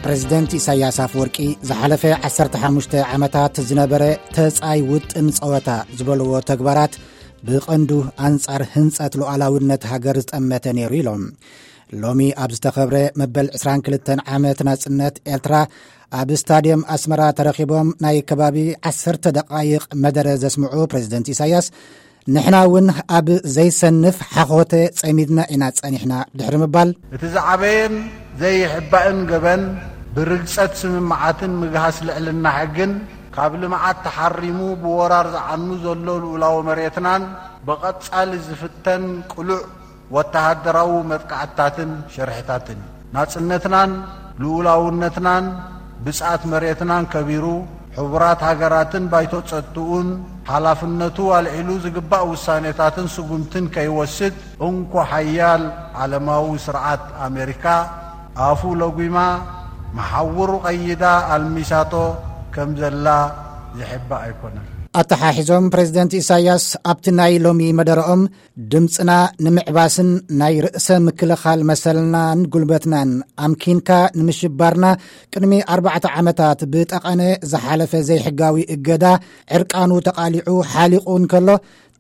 ፕሬዝደንት ኢሳያስ ኣፈወርቂ ዝሓለፈ ዓሰርተ ሓሙሽተ ዓመታት ዝነበረ ተጻይ ውጥን ጸወታ ዝበልዎ ተግባራት ብቐንዱ ኣንጻር ህንጸት ሉዓላውነት ሃገር ዝጠመተ ነይሩ ኢሎም። ሎሚ ኣብ ዝተኸብረ መበል ዕስራን ክልተን ዓመት ናጽነት ኤርትራ ኣብ ስታድየም ኣስመራ ተረኺቦም ናይ ከባቢ ዓሰርተ ደቓይቕ መደረ ዘስምዑ ፕሬዝደንት ኢሳያስ፣ ንሕና እውን ኣብ ዘይሰንፍ ሓኾተ ጸሚድና ኢና ጸኒሕና ድሕሪ ምባል፣ እቲ ዝዓበየን ዘይሕባእን ገበን ብርግጸት ስምምዓትን ምግሃስ ልዕልና ሕግን ካብ ልምዓት ተሓሪሙ ብወራር ዝዓኑ ዘሎ ልኡላዊ መሬትናን ብቐጻሊ ዝፍተን ቅሉዕ ወተሃደራዊ መጥቃዕትታትን ሽርሕታትን ናጽነትናን ልኡላውነትናን ብጽኣት መሬትናን ከቢሩ፣ ሕቡራት ሃገራትን ባይቶ ጸጥትኡን ሓላፍነቱ ኣልዒሉ ዝግባእ ውሳኔታትን ስጉምትን ከይወስድ፣ እንኮ ሓያል ዓለማዊ ስርዓት ኣሜሪካ ኣፉ ለጒማ መሓውሩ ቀይዳ ኣልሚሳቶ ከም ዘላ ዝሕባእ ኣይኮነን። ኣተሓሒዞም ፕሬዝደንት ኢሳያስ ኣብቲ ናይ ሎሚ መደረኦም፣ ድምጽና ንምዕባስን ናይ ርእሰ ምክልኻል መሰልናን ጉልበትናን ኣምኪንካ ንምሽባርና ቅድሚ ኣርባዕተ ዓመታት ብጠቐነ ዝሓለፈ ዘይሕጋዊ እገዳ ዕርቃኑ ተቓሊዑ ሓሊቑ እንከሎ፣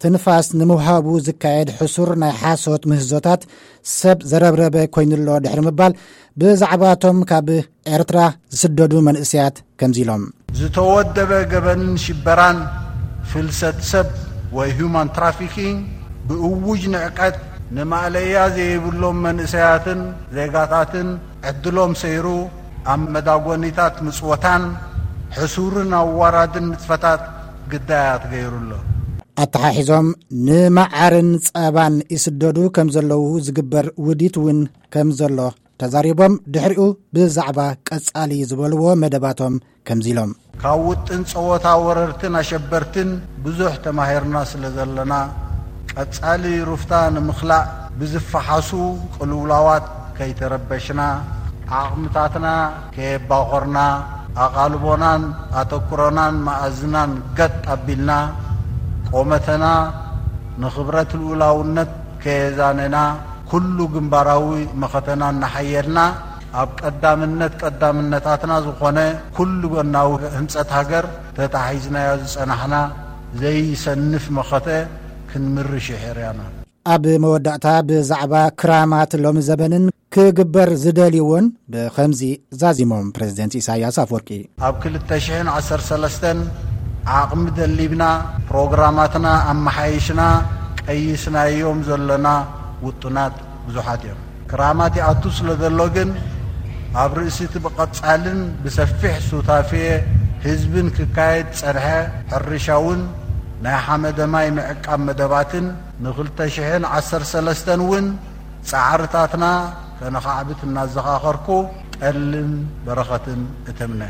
ትንፋስ ንምውሃቡ ዝካየድ ሕሱር ናይ ሓሶት ምህዞታት ሰብ ዘረብረበ ኮይኑሎ ድሕሪ ምባል፣ ብዛዕባቶም ካብ ኤርትራ ዝስደዱ መንእሰያት ከምዚ ኢሎም። ዝተወደበ ገበንን ሽበራን፣ ፍልሰት ሰብ ወይ ሁማን ትራፊኪንግ ብእውጅ ንዕቀት ንማእለያ ዘይብሎም መንእሰያትን ዜጋታትን ዕድሎም ሰይሩ ኣብ መዳጎኒታት ምጽወታን ሕሱርን ኣዋራድን ንጥፈታት ግዳያት ገይሩ ኣሎ። ኣተሓሒዞም ንመዓርን ጸባን ይስደዱ ከም ዘለዉ ዝግበር ውዲት እውን ከም ዘሎ ተዛሪቦም፣ ድሕሪኡ ብዛዕባ ቀጻሊ ዝበልዎ መደባቶም ከምዚ ኢሎም። ካብ ውጥን ጸወታ ወረርትን ኣሸበርትን ብዙሕ ተማሂርና ስለ ዘለና፣ ቀጻሊ ሩፍታ ንምኽላእ ብዝፈሓሱ ቅልውላዋት ከይተረበሽና፣ ዓቕምታትና ከየባኾርና፣ ኣቓልቦናን ኣተኩሮናን መኣዝናን ገጥ ኣቢልና፣ ቆመተና ንኽብረት ልኡላውነት ከየዛነና፣ ኩሉ ግንባራዊ መኸተና እናሓየልና፣ ኣብ ቀዳምነት ቀዳምነታትና ዝኾነ ኩሉ ጎናዊ ህንጸት ሃገር ተታሒዝናዮ ዝጸናሕና ዘይሰንፍ መኸተ ክንምርሽ ይሕርያና። ኣብ መወዳእታ ብዛዕባ ክራማት ሎሚ ዘበንን ክግበር ዝደልይዎን ብኸምዚ ዛዚሞም ፕሬዝደንት ኢሳያስ ኣፈወርቂ። ኣብ ክልተ ሽሕን ዓሰርተ ሰለስተን ዓቕሚ ደሊብና ፕሮግራማትና ኣመሓይሽና ቀይስናዮም ዘለና ውጥናት ብዙሓት እዮም። ክራማት ይኣቱ ስለ ዘሎ ግን ኣብ ርእሲ እቲ ብቐጻልን ብሰፊሕ ሱታፌ ህዝብን ክካየድ ጸንሐ ሕርሻውን ናይ ሓመደ ማይ ምዕቃብ መደባትን ንክልተ ሽሕን ዓሰርተ ሰለስተን እውን ጻዕርታትና ከነኻዕብት እናዘኻኸርኩ ጠልን በረኸትን እተምነ።